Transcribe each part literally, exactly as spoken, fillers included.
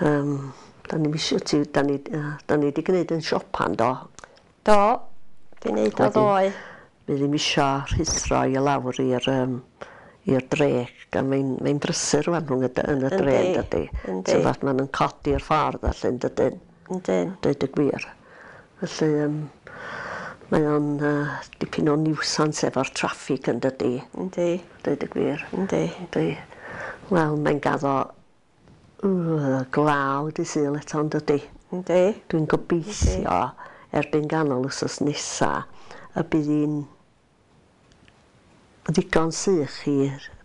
Um, da ni'm isio ti, da ni, uh, da ni 'di gwneud yn siopa'n do. Do, 'di neud o ddoe. Mi ddim isio rhuthro i lawr i'r um, i'r dre, gan mae'n mae'n brysur rŵan rhwng y, yn y dre, dydy. Yndi. Ti'n maen nhw'n codi'r ffordd allan, dydyn. Yndyn. Deud y gwir. Felly, um, mae o'n uh, dipyn o niwsans efo'r traffig yn dydy. Yndi. Deud y gwir. Yndi. Yndi. Wel, mae'n gaddo uh, glaw dy Sul eto, yn dydy. Yndi. Dwi'n gobeithio erbyn ganol wythnos nesa y bydd hi'n ddigon sych i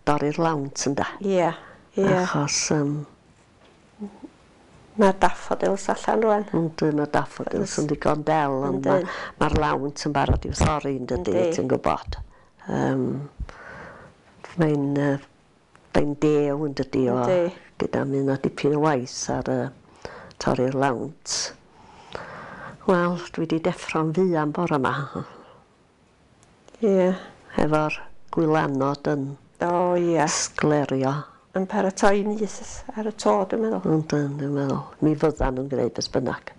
dorri'r lawnt ynde. Ie, ie. Achos um, mae'r daffodils allan rŵan. Yndi, mae'r daffodils yn ddigon del, ond mae'r ma lawnt yn barod i'w thorri yn dydy, ti'n gwybod. Um, mae'n uh, mae'n dew yn dydy o, gyda mynd â dipyn o waith ar uh, torri'r lawnt. Wel, dwi wedi deffro'n fuan bore yma. Ie. Yeah. Efo'r gwylanod yn o, ie. sglerio. Yn paratoi nyth ar y to, dwi'n meddwl. Yndyn, dwi'n meddwl. Mi fyddan nhw'n gwneud beth bynnag.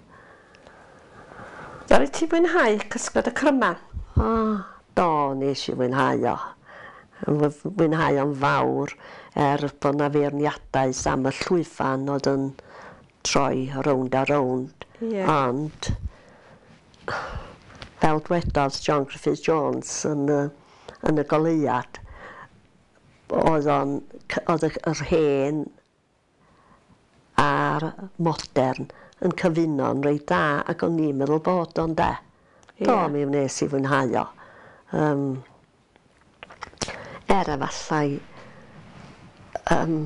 Ddaru ti fwynhau Cysgod y Cryman? O, do, nes i fwynhau o. Fwynhau o'n fawr, er bod na feirniadaeth am y llwyfan oedd yn troi rownd a rownd. Yeah. Ond, fel dwedodd John Griffith Jones yn y, yn y goleuad, oedd o'n, oedd yr hen a'r modern yn cyfuno'n reit da, ac o'n i'n meddwl bod o'n de. Yeah. Do, mi wnes i fwynhau o. Um, er efallai um,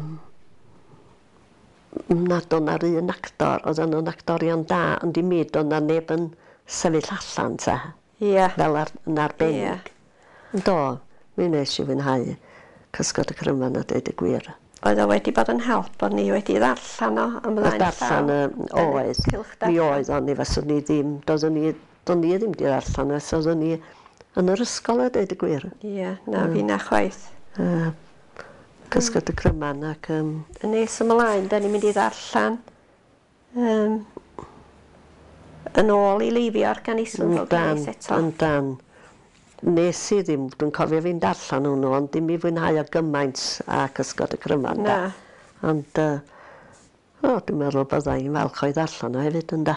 nad o'n ar un actor, oedd o'n actorion da, ond i mi doedd na neb yn sefyll allan te. Yeah. Fel ar, yn arbennig. Yeah. Do, mi wnes i fwynhau Cysgod y Cryman a deud y gwir. Oedd o wedi bod yn help bod ni wedi ddarllen o ymlaen llaw. Darllen oedd. Mi oedd, ond ni faswn ni ddim, doeddwn ni, doeddwn ni ddim di ddarllen, os oeddwn ni yn yr ysgol a deud y gwir. Ie, na mm. fi na chwaith. Uh, Cysgod y Cryman ac... Um, yn nes ymlaen, da ni'n mynd i ddarllen um, yn ôl i Leifior gan Islwyn Ffowc eto. Yndan. Nes i ddim, dwi'n cofio fi'n darllen hwnnw, ond dim i fwynhau o gymaint a Cysgod y Cryman. Na. Ond, uh, o, dwi'n meddwl bydda i'n falch o'i ddarllen o hefyd, ynde.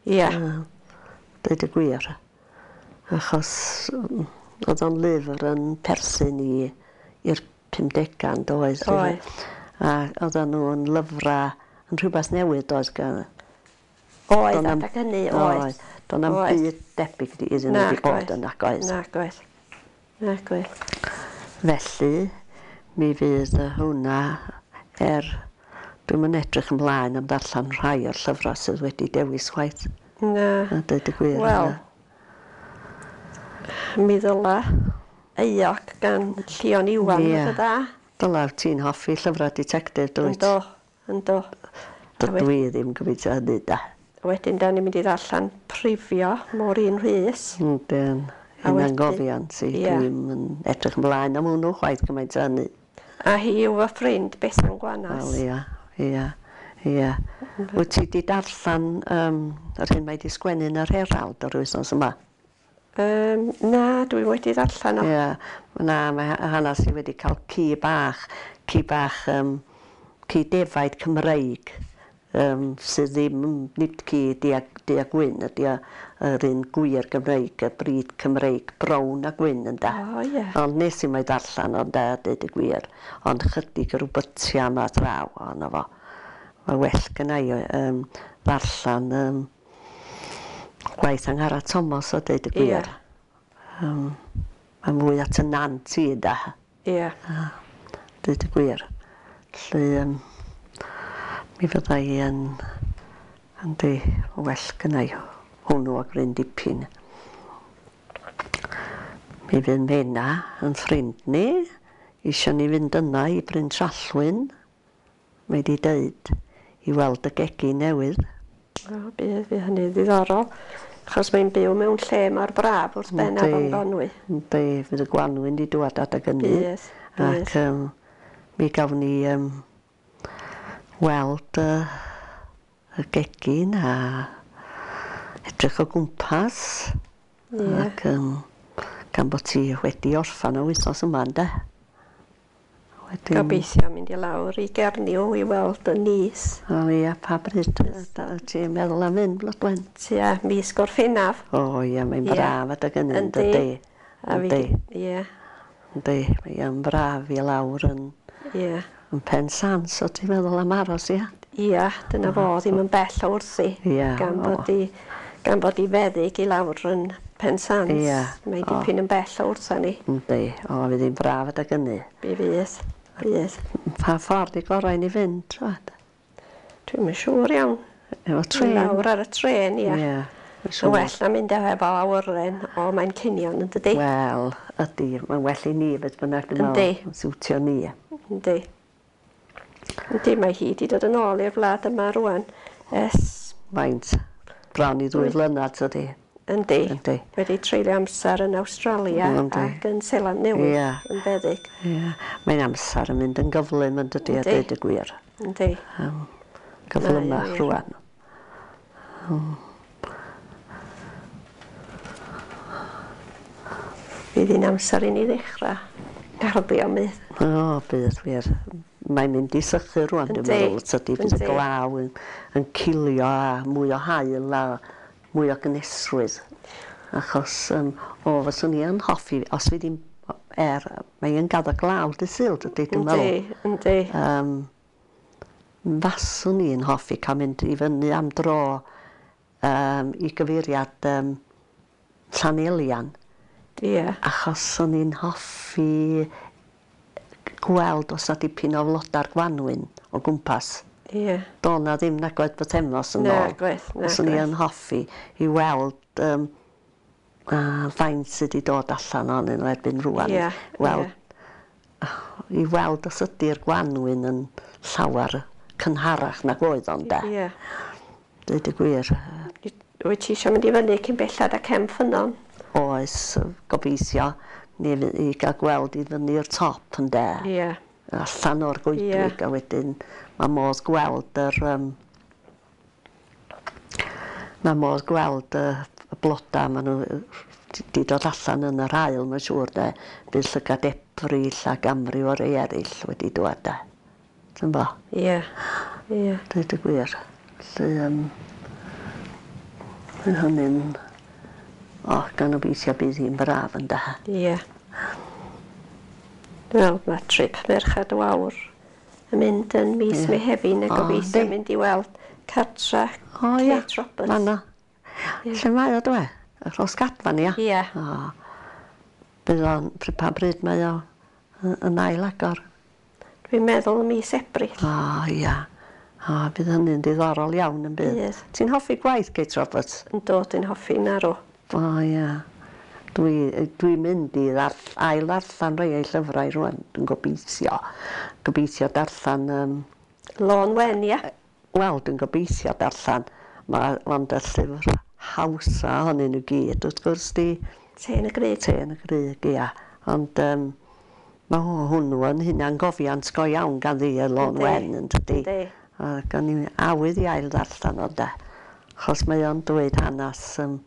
Ie. Uh, deud y gwir. Achos oedd o'n lyfr yn perthyn i i'r pumdegau, doedd? Oedd. A oedden nhw'n lyfrau yn rhywbeth newydd, doedd? Gan... Oedd, adag hynny, oedd. Doedd na'm byd debyg iddyn nhw wedi bod yn nag oedd. Nag oedd. Nag oedd. Felly, mi fydd hwnna er... Dwi'm yn edrych ymlaen am ddarllen rhai o'r llyfrau sydd wedi dewis chwaith. Na. A deud y gwir. Wel, mi ddyla Euog gan Llion Iwan yeah. fod y dda. Dyla, ti'n hoffi llyfrau ditectif, dwyt? Ynddo, ynddo. Dydw i ddim gobeithio hynny, da. Wedyn, da ni'n mynd i ddarllen Prifio, Maureen Rhys. Yndyn, hunangofiant i. Yeah. Dwi'n yn edrych ymlaen am hwnnw chwaith gymaint o hynny. A hi yw fy ffrind Bethan Gwanas. Wel, ia, ia, ia. Wyt ti di darllen um, yr hyn mae di sgwennu yn yr Herald o'r wythnos yma? Um, na, dwi wedi ddarllen o. Ia, na, mae hanes i wedi cael ci bach, ci bach, um, ci defaid Cymreig, um, sydd ddim, nid ci du a, du a gwyn, ydy yr un gwir Gymreig, y brid Cymreig, brown a gwyn ynde. O, ie. Ond nes i mai darllen ond a deud y gwir, ond chydig yr wbytia yma draw ohono fo. Mae well gynna i um, ddarllen um, gwaith Angharad Tomos o deud y gwir. Ie. Um, mae'n mwy at y nant i ynde. Ie. Uh, deud y gwir. Felly, um, mi fydda i yn, yndi, well gynna i hwnnw o gryn dipyn. Mi fydd Mena yn ffrind ni, isio ni fynd yna i Bryn Trallwyn, mae di deud, i weld y gegin newydd. O, bydd, fydd hynny ddiddorol, achos mae'n byw mewn lle mor braf wrth ben Afon Conwy. Yndi, fydd y gwanwyn di dŵad adag hynny. Bydd, bydd. Ac um, mi gawn ni um, weld uh, y gegin a edrych o gwmpas. Ie. Ac um, gan bod ti wedi orffan y wythnos yma, ynde? Wedyn... Gobeithio mynd i lawr i Gernyw i weld y nis. O ia, pa bryd ti'n meddwl am fynd, Blodwen? Tua mis Gorffennaf. O ia, mae'n braf adeg hynny, Yndi. yndydi? A fi Yndi. Ie. Yndi, mae'n braf i lawr yn, Ie. yn Pen Sans, o ti'n meddwl am aros, ia? Ia, dyna fo, ddim yn bell o wrthi. Ia, Gan o. bod i, gan bod i feddyg i lawr yn Pen Sans. Ia, Mae o. dipyn yn bell o wrtha ni. Yndi, o, fydd hi'n braf adeg hynny. Mi fydd, fydd. Pa ffordd i gorau i ni fynd, twad? Dwi'm yn siŵr iawn. Efo trên? Lawr ar y trên, ia. Ie. Yn well na mynd efo awyren o Manceinion, yn dydi? Wel, ydy, mae'n well i ni beth bynnag, dwi'n Yndi. meddwl. Siwtio ni. Yndi. Yndi, mae hi wedi dod yn ôl i'r wlad yma rwan. Ers, Faint, bron i ddwy flynedd, tydi? yndi. Yndi. Wedi treulio amser yn Awstralia Yndi. ac yn Seland Newydd Ie. yn feddyg. Ie. Mae'n amser yn mynd yn gyflym yn dydi, a Yndi. dweud y gwir. Yndi. Um, gyflymach Mae, wir. rwan. Fydd hi'n amser i ni ddechrau garddio mydd. O, bydd wir. Mae'n mynd i sychu rwan, dwi'n Yndi. meddwl. Tydi, bydd y Yndi. glaw yn, yn cilio a mwy o haul a mwy o gynhesrwydd. Achos, um, o, fyswn i yn hoffi, os fydd hi'n, er, mae'n gaddo glaw dy Sul, dydy, dwi'n meddwl. Yndi, yndi. Um, faswn i'n hoffi cael mynd i fyny am dro um, i gyfeiriad um, Llanelian, Ie. achos o'n i'n hoffi gweld os na dipyn o floda'r gwanwyn o gwmpas. Ie. Do na ddim nagwedd bythefnos yn ôl. Nagwedd, Os o'n i nagwedd. yn hoffi i weld um, a faint sydd wedi dod allan ohonyn nhw erbyn rwan. Ie, Weld, ie. I weld os ydy'r gwanwyn yn llawer cynharach nag oedd o'n de. Ie. Dweud y gwir. Wyt ti eisiau mynd i fyny cyn bellad a Cefn Ffynnon? Oes, gobeithio, ni fy- i gael gweld i fyny'r top yn de. Ie. Allan o'r goedwig Ie. a wedyn mae modd gweld yr um, mae modd gweld y, y bloda maen nhw di dod allan yn yr haul mae'n siŵr de. Bydd llygad Ebrill ac amryw o rei eraill wedi dŵad de. Ti'n bo? Ie. Ie. Dweud y gwir. Felly, um, mae hynny'n... O, gan obeithio bydd hi'n braf yn de. Ie. Wel, mae trip Merched y Wawr yn mynd yn mis Ie. Mehefin a O, gobeithio yndi. mynd i weld cartra O, ia. Kate Roberts. Fan'na. Ie. Lle mae o, dwe? Y Rhosgadfan, ia? Ie. O. Bydd o'n, pr- pa bryd mae o yn yn ail agor? Dwi'n meddwl ym mis Ebrill. O, ia. O, bydd hynny'n diddorol iawn yn bydd. Bydd. Ti'n hoffi gwaith Kate Roberts? Yn dod yn hoffi narw. O, ia. Dwi, dwi'n mynd i ddarll, ail ddarllen rhai o'i llyfrau rwan. Dwi'n gobeithio. Gobeithio darllen... Um, Lôn Wen, ia? Wel, dwi'n gobeithio darllen. Mae ond y llyfr hawsa ohonyn nhw gyd, wrth gwrs di Te yn y Grug. Te yn y Grug, ia. Ond um, mae hwnnw yn hunangofiant go iawn gan ddi y Lôn Yndi. Wen, yn dydi. Yndi. A gan i awydd i ail ddarllen o de. Achos mae o'n dweud hanes um,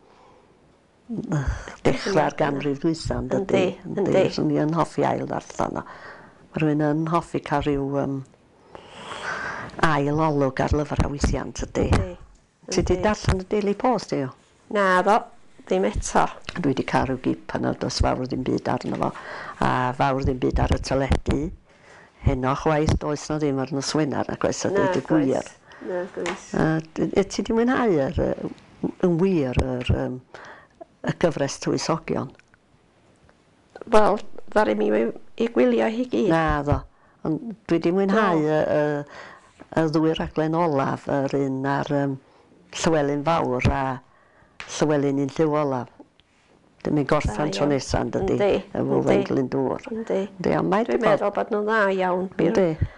dechrau'r ganrif dwytha, yn dydi. Yndi, yndi. Swn i yn hoffi ail ddarllen o. Mae rhywun yn hoffi cael rhyw um, ail olwg ar lyfrau weithiau, yn dydi. Yndi. Ti 'di Yndi. darllen y Daily Post, yw? Na ddo, ddim eto. Dwi wedi cael rhyw gip yna, does fawr ddim byd arno fo, a fawr ddim byd ar y teledu. Heno chwaith, does na ddim ar nos Wener, ac oes a dweud y gwir. Na, gwys. A d- y- ti 'di mwynhau yr, yy, yn wir yr, um, y gyfres Tywysogion? Wel, ddaru mi i i gwylio hi gyd. Na ddo, ond dwi 'di mwynhau y, y, y ddwy raglen olaf, yr un ar um, Llywelyn Fawr a Llywelyn un lliw olaf. Dwi'n mynd gorffan Da tro iawn. nesa, yn dydi? Yndi, Efo yndi. Owain Glyndŵr. Yndi. Yndi, ond mae Dwi'n 'di bod- meddwl bod nhw'n dda iawn. Bir Yndi.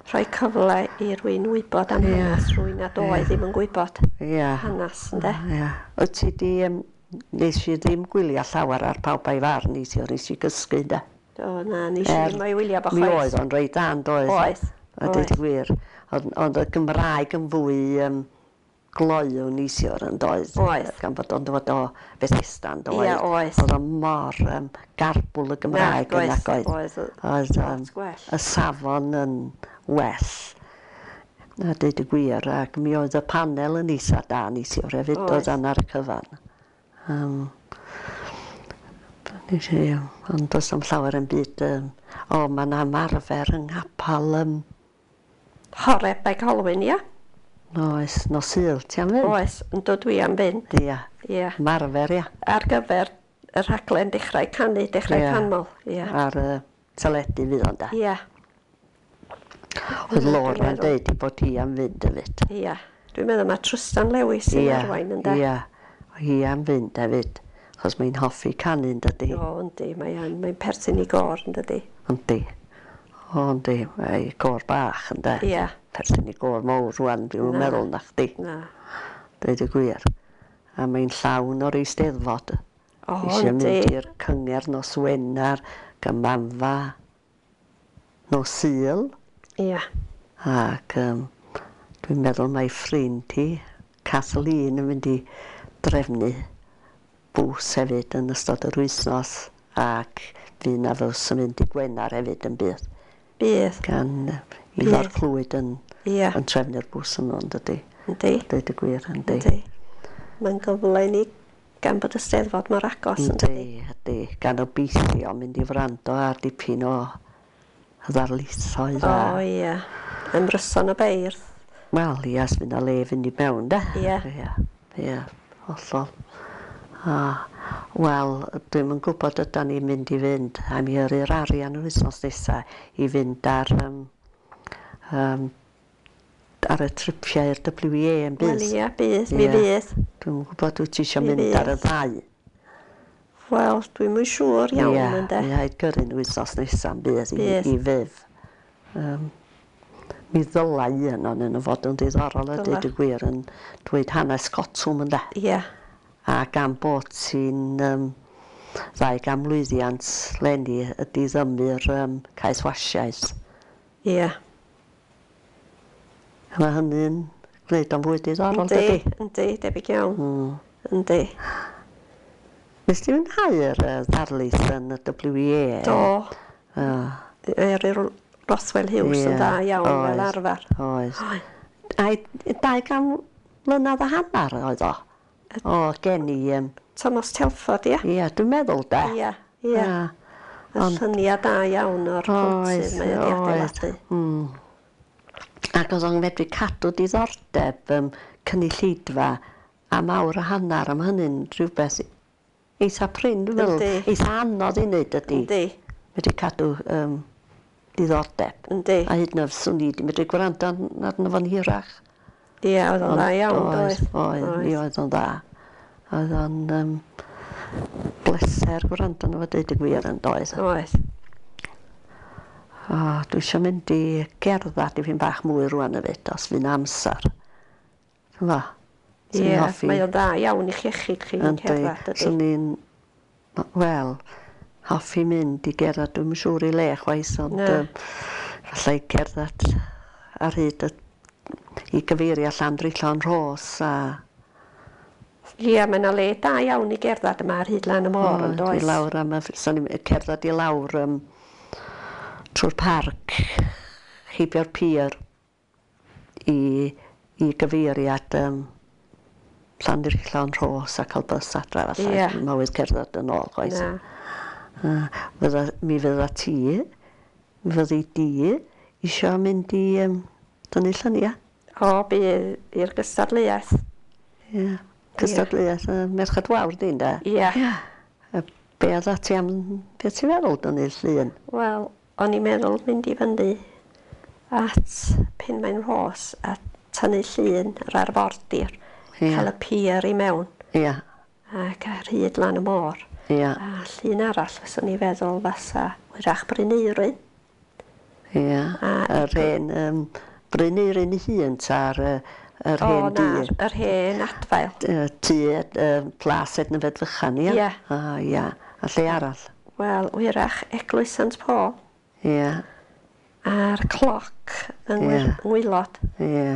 rhoi cyfle i rywun wybod am Ie. hanes rhywun nad oedd Ie. ddim yn gwybod Ia. hanes, ynde? Ia. Wyt ti 'di, um, nes i ddim gwylio llawer ar Pawb a'i Farn neithiwr, nes i gysgu, ynde? Do, na, nes i Er, ddim o'i wylio fo Mi chwaith. oedd o'n reit da, yn doedd? Oedd, A dweud oedd. y gwir. Ond, ond y Gymraeg yn fwy um, gloyw neithiwr yn doedd. Oedd. Gan bod o'n dod o Bethesda yn doedd. Ie, oedd. Oedd o mor um, garbwl y Gymraeg yn Nag ac oedd. Oedd. Oedd um, Lot gwell. y safon yn well. A deud y gwir, ac mi oedd y panel yn eitha da neithiwr hefyd, Oedd. oedd ar y cyfan. Um, nes i, ond does am llawer yn byd. Um, o, mae yna ymarfer yng nghapal um, Horeb Bae Colwyn, ia? Oes, nos Sul, ti am fynd? Oes, yn dod dwi am fynd. Ia, Ia. ymarfer, ia. Ar gyfer y rhaglen Dechrau Canu, Dechrau Ie. Canmol. Ia. Ar y teledu fydd o'n da. Ia. Oedd Laura'n meddwl. deud i bod hi am fynd hefyd. Ia. Dwi'n meddwl mae Trystan Lewis sy'n Ia, arwain yn da. Ia, hi am fynd hefyd. Achos mae'n hoffi canu yn dydi. O, yndi, mae'n mae perthyn i gôr yn dydi. Yndi. O, yndi, mae gôr bach ynde. Ia. Perthyn i gôr mawr rwan, dwi'n Na. meddwl na chdi. Na. Dweud y gwir. A mae'n llawn o'r eisteddfod. O, Eisiau yndi. mynd i'r cyngerdd nos Wener, Gymanfa, nos Sul. Ia. Ac um, dwi'n meddwl mai ffrind hi, Kathleen, yn mynd i drefnu bws hefyd yn ystod yr wythnos ac fydd na fws yn mynd i Gwener hefyd yn bydd. Bydd. Gan yy, Ifor Bydd. Clwyd yn, Ia. yn trefnu'r bws yma, yn dydi? Yndi. Dweud y gwir, yndi. Yndi. Mae'n gyfle i ni gan bod y Steddfod mor agos yn dydi. Yndi, yndi. Gan obeithio mynd i wrando ar dipyn o ddarlithoedd O, a... ia. Ymryson y beirdd. Wel, ia, os fynd â le fynd i mewn, de. Ie. Ia, ia, hollol. A, wel, dwi'm yn gwybod ydan ni'n mynd i fynd. A mi yrru'r arian yr wythnos nesa i fynd ar, um, um, ar y tripiau i'r W E A yn Wel, bydd. ia, bydd. Mi Ie. fydd. Dwi'm yn gwybod wyt ti eisiau Mi mynd ar y fydd. ddau. Wel, dwi'm yn siŵr iawn, Ie, ynde. mi rhaid gyrru'n wythnos nesa'n bydd i, Bydd. i fydd. Um, mi ddylai un ohonyn nhw fod yn diddorol a Dyla. dweud y gwir yn dweud hanes cotwm ynde. Ia. A gan bod ti'n um, ddau gan mlwyddiant leni ydy ddymur um, caethwasiaeth. Ia. A mae hynny'n gwneud o'n fwy diddorol, Yndi, dydy? yndi, debyg iawn. Mm. Yndi. Nes ti fwynhau'r uh, ddarlith yn y W E A? Do. Uh, Eryr Roswell Hughes yn Ie, dda iawn fel oedd. arfer. Oedd. Oedd. Ai, dau gan mlynedd a hanner oedd o. O, gen i... Um, Thomas Telford, ia? ia, dwi'n meddwl de. Ia, ia. Ia. Y lluniau da iawn o'r Oedd, pontydd mae wedi oedd. adeiladu. Mm. Ac oedd o'n medru cadw diddordeb um, cynulleidfa am awr a hanner, am hynny'n rhywbeth eitha prin, dwi'n meddwl. Yndi. Eitha anodd i wneud ydy. Yndi, Medru cadw um, diddordeb. yndi. A hyd yn oed swn i wedi medru gwrando arno fo'n hirach. Ia, oedd o'n dda iawn, Oedd, doedd? oedd, mi oedd o'n dda. Oedd o'n um, bleser gwrando arno fo deud y gwir yn doedd. Oedd. O, dwi eisiau mynd i gerdded dipyn bach mwy rwan hefyd, os fydd amser. Ti'n fo? Swn i'n Ie, hoffi. mae o'n dda iawn i'ch iechyd chi yn Yndi, cerdded, ydy. Swn i'n, wel, hoffi mynd i gerdded, dwi'm yn siŵr i le chwaith, ond Na. um, falle i gerdded ar hyd y, i gyfeirio Llandrillo'n Rhos a Ie, mae yna le da iawn i gerdded yma ar hyd lan y môr, yn i does? lawr am y, swn i'n cerdded i lawr um, trwy'r parc, heibio'r pier i, i gyfeiriad um, Llandrillo'n Rhos a cael bus adra falle. Ie. Mywyd cerdded yn ôl chwaith. Na. Uh, fydda, mi fydda ti, mi fyddi di isio mynd i um, dynnu lluniau. O, bydd i'r gystadleuaeth. Ie. Cystadleuaeth y Merched Wawr di'n de? Ie. Ie. Be oedd ti am, be ti'n feddwl dynnu llun? Wel, o'n i'n meddwl mynd i fyny at Penmaen Rhos a tynnu llun yr arfordir. Ie. Cael y pier i mewn Ie, ac ar hyd lan y môr. ie, A llun arall fyswn i feddwl fasa wyrach Bryn Euryn. ie. A- Yr hen, um, Bryn Euryn ei hun ta'r yy, yr O, hen na, dŷ. yr hen adfail. Yy, Tŷ, yy, Plas Ednyfed Fychan, ie? Ie. A, ie. A lle arall? Wel, wyrach Eglwys Sant Paul Ie, a'r cloc yng Ie. Ngwy- Ngwylod. ie.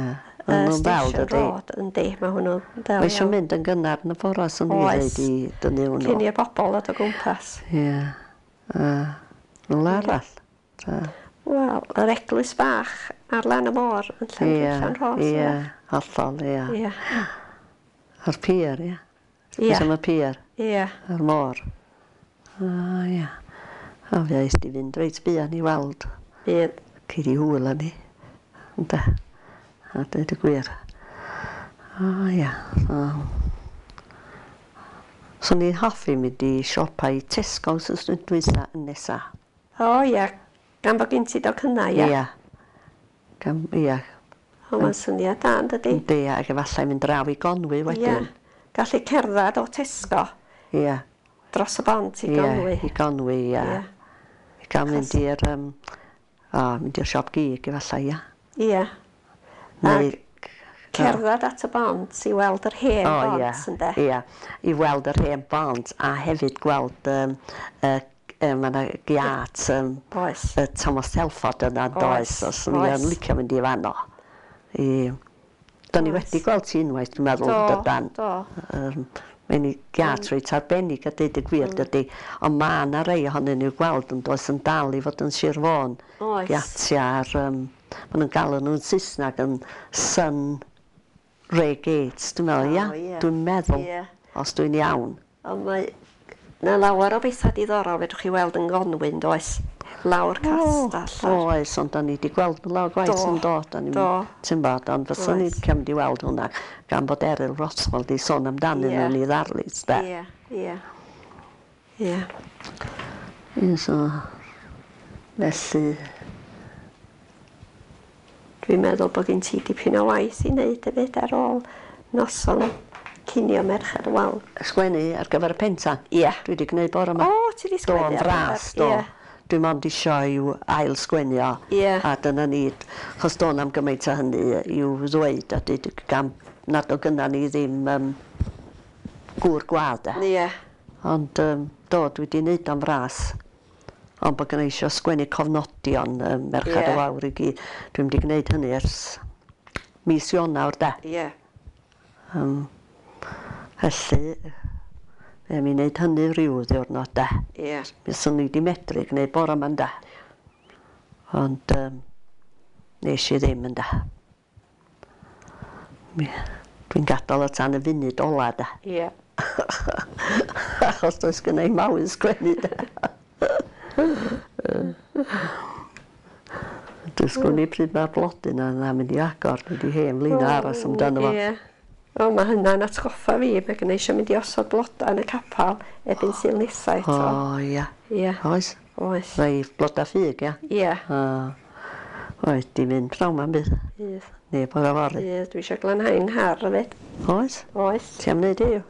uh, Station Road, yndi, mae hwnnw'n del. Mae eisiau mynd yn gynnar yn y bora, swn i'n dweud i dynnu hwnnw. Cyn i'r bobl ddod o gwmpas. Ie. Rhywle arall? Wel, yr eglwys bach ar lan y môr yn Llanrhos. Ie, hollol, ie. A'r pier, ie. Ie. Am y pier. Ie. A'r môr. O, ie. O, fe eist i fynd reit buan i weld. Bydd. Cei di hwyl â ni. Ynde. A dweud y gwir. O, ia. Swn i'n hoffi mynd i siopa i Tesco wythnos dwytha yn nesa. O, ia. Gan bod gen ti docynnau, ia? Ia. Gan, ia. O, mae'n syniad da, yn dydi? Yndi, ac efallai mynd draw i Gonwy wedyn. Ia. Gallu cerdded o Tesco. Ia. Dros y bont i Gonwy. Ia, i Gonwy, ia. Ia. I gael mynd i'r um, o, mynd i'r siop gig efallai, ia. Ia. Neu Ac cerdded at y bont i weld yr hen o, bont, ia, ynde? Ia, i weld yr hen bont a hefyd gweld um, uh, uh, mae yna giat um, Oes. uh, Thomas Telford yna, does, os Oes. o'n licio mynd i fanno. I, Do'n i Oes. wedi gweld ti unwaith, dwi'n meddwl, Do, dydan. do. Um, Mae'n i giat reit arbennig a deud y gwir, dydy. Ond mae yna rei ohonyn nhw'n gweld yn does yn dal i fod yn Sir Fôn. Oes. Giatia ar, um, maen nhw'n galw nhw'n Saesneg yn Sun Ray Gates, dwi'n meddwl, ia? O, ie. Dwi'n meddwl, Ie. os dwi'n iawn. Ond mae 'na lawer o bethau diddorol fedrwch chi weld yn Gonwy, yn does? Lawr castell. O, oes, ond da ni wedi gweld nhw lawr gwaith Do, yn dod. Da ni'n do. Ti'n bod, ond fyswn ni Oes. wedi mynd i weld hwnna gan bod Eryl Rothwell di sôn amdanyn Ie. nhw yn ei ddarlith, de. Ie, ie. Ie. Ie, so, felly, Dwi'n meddwl bod gen ti dipyn o waith i wneud hefyd ar ôl noson cinio Merched y Wawr. Sgwennu ar gyfer y pentan. Ie. Dwi wedi gwneud bore yma. O, ti 'di Do, sgwennu yn ar fras, gyfer- do. Ie. Dwi mond isio i'w ail sgwennu o. Ie. A dyna ni, chos do'n am gymaint o hynny i'w ddweud a dweud gan nad o gynna ni ddim um, gŵr gwadd e. Ie. Ond um, do, dwi wedi wneud o'n fras. Ond bod gynna i isio sgwennu cofnodion um, Merched Ie. y Wawr i gyd. Dwi'n wedi gwneud hynny ers mis Ionawr de. Ie. Um, felly, fe mi wneud hynny rhyw ddiwrnod de. Ie. Mi swn i wedi medru gwneud bore yma ynde. Ond um, nes i ddim ynde. Mi, dwi'n gadael o tan y funud ola de. Ie. Achos does gynna i mawn sgwennu de. Dwi'n sgwennu pryd mae'r blodyn yna mynd i agor, dwi wedi hen flin aros amdano fo. Ie. O, mae hynna'n atgoffa fi, mae gen i eisiau mynd i osod blodau yn y capal erbyn Sul nesa eto. O, ia. Ie. Oes. Oes. Rhai bloda ffug, ia. Ie. O, oes, di mynd pnawn ma'n bydd. Bydd. Neu bore fory. Bydd. Dwi eisiau glanhau nghar hefyd. Oes. Oes. Ti am wneud i'w?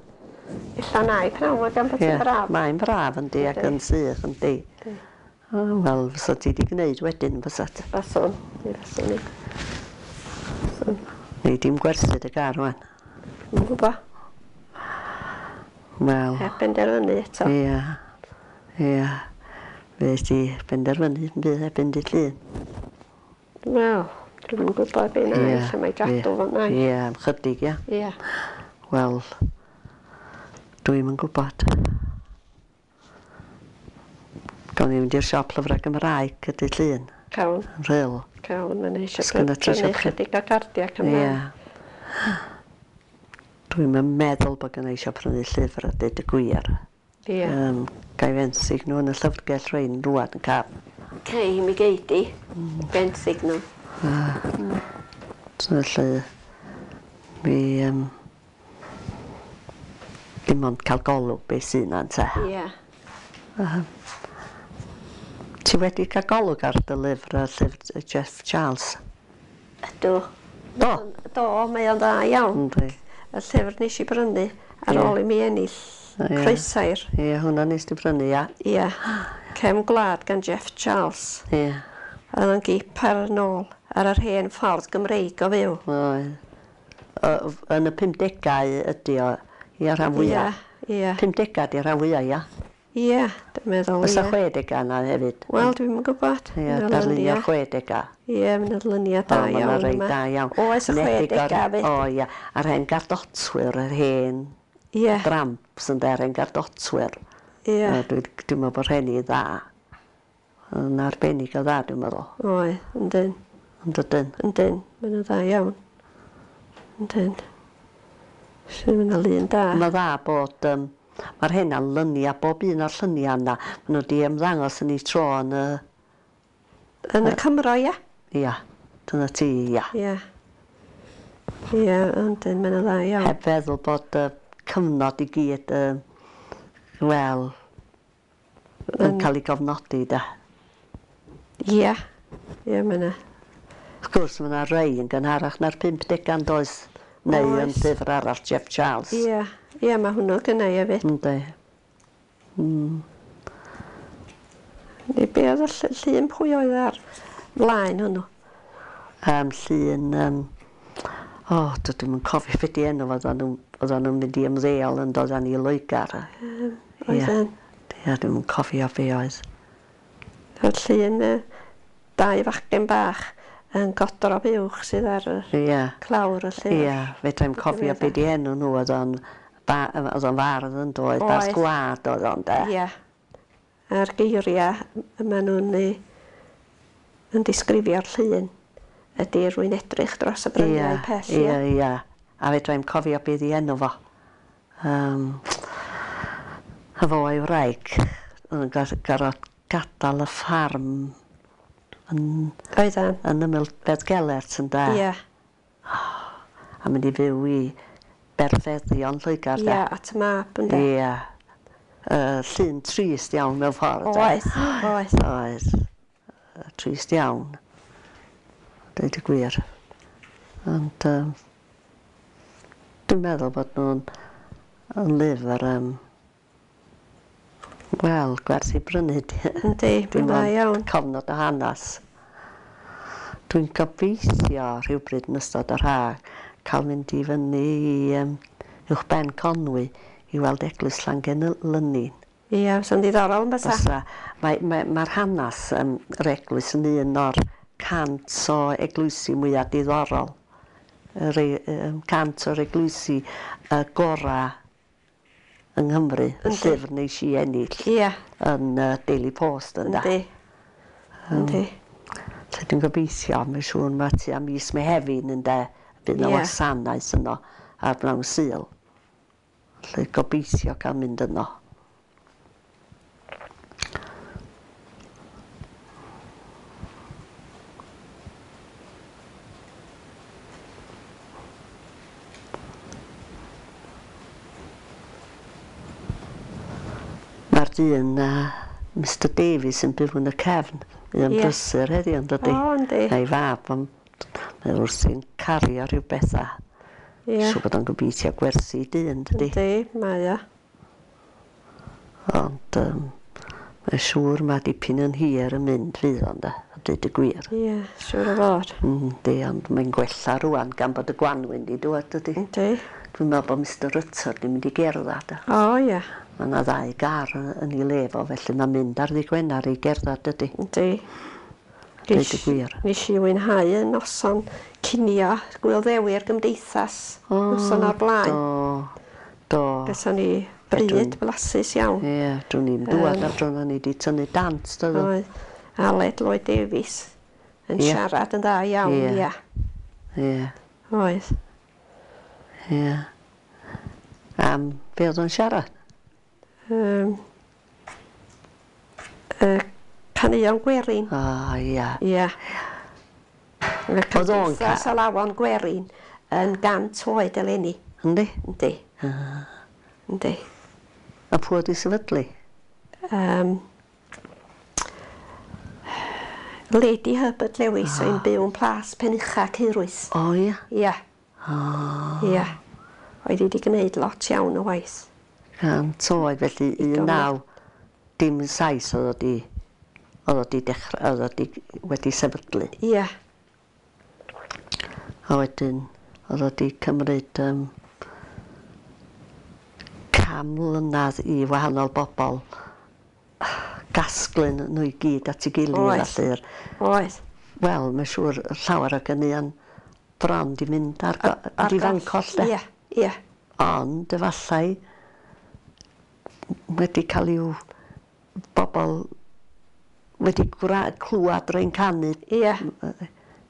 Ella na i pnawn ma gan bod Ie, hi'n braf. Mae'n braf yndi ac yn sych yndi. Yndi. O, wel, fysa ti wedi gwneud wedyn, fysa ti. Faswn. Mi faswn i. Faswn. Nei di'm gwerthu dy gar wan. Dwi'm yn gwybod. Wel, Heb benderfynu eto. ia, ia. Fe ti benderfynu yn bydd erbyn dydd Llun. Wel, dwi'm yn gwybod be na i, lle mae gadw fo na i. Ie, am chydig, ia. Ie. Wel, dwi'm yn gwybod. Gawn ni fynd i'r siop lyfrau Gymraeg y dydd Llun, Cawn, yn Rhyl. cawn, mae'n eisiau Sgynna ti prynu isio chydig o gardiau Ie. Cymraeg. Dwi'm yn meddwl bod gynna i eisiau prynu llyfr a deud y gwir. Ie. Um, Ga i fenthyg nhw yn y llyfrgell rhein rŵan yn caf. Cei, mi gei di. Benthyg nhw. So felly, mi um, dim ond cael golwg beth sy'n na te. Ie. Ti wedi cael golwg ar dy lyfr, y llyfr Jeff Charles? Ydw. Do? Do, mae o'n dda iawn. Yndi. Y llyfr nes i brynu ar Ie. ôl i mi ennill O, ie. croesair. Ie, hwnna nes di brynu, ia. Ie. Cefn Gwlad gan Jeff Charles. Ie. Oedd o'n gip ar yn ôl ar yr hen ffordd Gymreig o fyw. Oedd. O, Yn y pumdegau ydi o, ia rhan fwyaf. Ie, ie. Pumdegau di rhan fwyaf, ia. Ie, dwi'n meddwl, ie. Oes 'na chwedega yna hefyd? Wel, dwi'm yn gwybod. Ie, darlunio'r chwedega. Ie, ma' 'na luniau da iawn yma. O, ma' 'na rei da iawn. Oes y chwedega 'fyd. O ia, a'r hen gardotwyr, yr hen... Ie. Dramps ynde, yr hen gardotwyr. Ie. Dwi dwi'n meddwl bod rheiny dda. Yn arbennig o dda, dwi'n meddwl. Oedd, yndyn. Yndydyn? Yndyn, ma' nhw'n dda iawn. Yndyn. Sy'n mynd lun da. Mae'n dda bod... Um, mae'r hynna'n lynia, bob un o'r lluniau yna. Maen nhw wedi ymddangos yn eu tro yn y... Yn y Cymro, ia? Ia, dyna ti, ia. Ia. Ia, yndyn, maen nhw'n dda iawn. Heb feddwl bod y cyfnod i gyd, uh, wel, yn cael ei gofnodi, da. Ia, ia, mae yna. Wrth gwrs, mae yna rei yn gynharach na'r pump degau, does? Neu yn llyfr arall, Jeff Charles. Ia, ia, mae hwnnw gynna i hefyd. Yndi. Mm. Neu be oedd y llun pwy oedd ar flaen hwnnw? Um, llun... Um, o, oh, dwi'm yn cofio beth di enw, oedden nhw'n mynd i ymddeol yn dod â ni i Loegr. Um, Oedden. Ia, dwi'm yn cofio be oedd. Oedd llun uh, dau fachgen bach yn godro buwch sydd ar y yeah. clawr y llyfr. Ia, yeah, fedrai'm cofio be di enw nhw, oedd o'n oedd o'n fardd yn doedd, bardd gwlad oedd o'n de. Ia. A'r geiriau maen nhw'n yn disgrifio'r llun ydy rwy'n edrych dros y bryniau yeah, pell. Ia, ia, ia. A fedrai'm cofio be di enw fo. Um, a fo a'i wraig yn gorfod gadael y ffarm yn, Oedden. yn ymyl Beddgelert yn da. Ie. A mynd i fyw i berfeddion Lloegr, de. Ie, at y mab, ynde. Ie. Uh, llun trist iawn mewn ffordd. Oedd, oedd. Oedd. Uh, trist iawn. Deud y gwir. Ond um, dwi'n meddwl bod nhw'n yn lyfr um, wel, gwerth i brynu. Yndi, mae'n dda iawn. Cofnod o hanes. Dwi'n gobeithio rhywbryd yn ystod yr ha cael mynd i fyny i um, uwchben Conwy i weld eglwys Llangelynnin. Ie, fysa'n ddiddorol yn bysa. Fysa. Mae'r mae, mae hanes um, yr eglwys yn un o'r cant o eglwysi mwyaf diddorol. Yr, um, cant o'r eglwysi uh, gorau yng Nghymru, y llyfr nes i ennill. Ie. Yn uh, Daily Post ynda. Yndi. Yndi. Lle dwi'n gobeithio, mae'n siŵr mae tua mis Mehefin ynde, bydd yna Ie. wasanaeth yno ar bnawn Sul. Lle gobeithio cael mynd yno. Mae'r dyn, uh, Mister Davies, yn byw yn y cefn. Mae o'n Ie. brysur heddiw, yn dydi? O, yndi. A'i fab, ond mae wrthi'n cario rhyw bethau. Ie. Siŵr bod o'n gobeithio gwerthu i dyn, dydi? Yndi, mae o. Ond um, mae'n siŵr mae dipyn yn hir yn mynd fydd o'n de, a dweud y gwir. Ie, siŵr o fod. Yndi, ond mae'n gwella rwan gan bod y gwanwyn di dŵad, dydi? Yndi. Dwi'n meddwl bod Mister Rutter di mynd i gerdded. O, ie. Mae yna ddau gar yn ei le fo, felly mae'n mynd ar ddydd Gwener i gerdded, dydi? Yndi. Dweud y gwir. Nes i fwynhau y noson cinio Gŵyl Ddewi'r Gymdeithas. Noson o'r blaen. Do, do. Gason ni bryd blasus iawn. Ie, dwi'n i'n dŵad ar dro ni wedi tynnu dant, doedd? Oedd Aled Lloyd Davies yn Ie. siarad yn dda iawn, Ie. ia. Ie, Oedd. ie. Am be oedd o'n siarad? Um, uh, caneuon gwerin. O, ia. Ia. Mae Oedd o'n ca- Cymdeithas Alawon Gwerin yn gant oed eleni. Yndi? Yndi. Yndi. A pwy oedd i sefydlu? Um, Lady Herbert Lewis ah. o'n byw yn Plas Penucha Ceirwys. O, ia. Ia. O, Ia. Oedd hi wedi gwneud lot iawn o waith. Cant oed, felly un naw dim saith oedd o di, oedd o di dechrau, oedd o di wedi sefydlu. Ia. A wedyn oedd o di cymryd um, cam mlynedd i wahanol bobl casglu nhw i gyd at ei gilydd. Oedd. Felly'r Oedd. Wel, mae'n siŵr llawer o ganeuon bron 'di mynd ar, go- Ar di goll. fancoll de. Ie, ie. Ond efallai wedi cael i'w bobl wedi gwra- clywed rwy'n canu. Ie.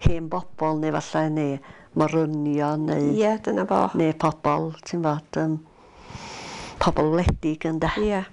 Hen bobl neu efallai neu morynion neu Ie, dyna fo. neu pobl, ti'n fod, um, pobl wledig ynde. Ie.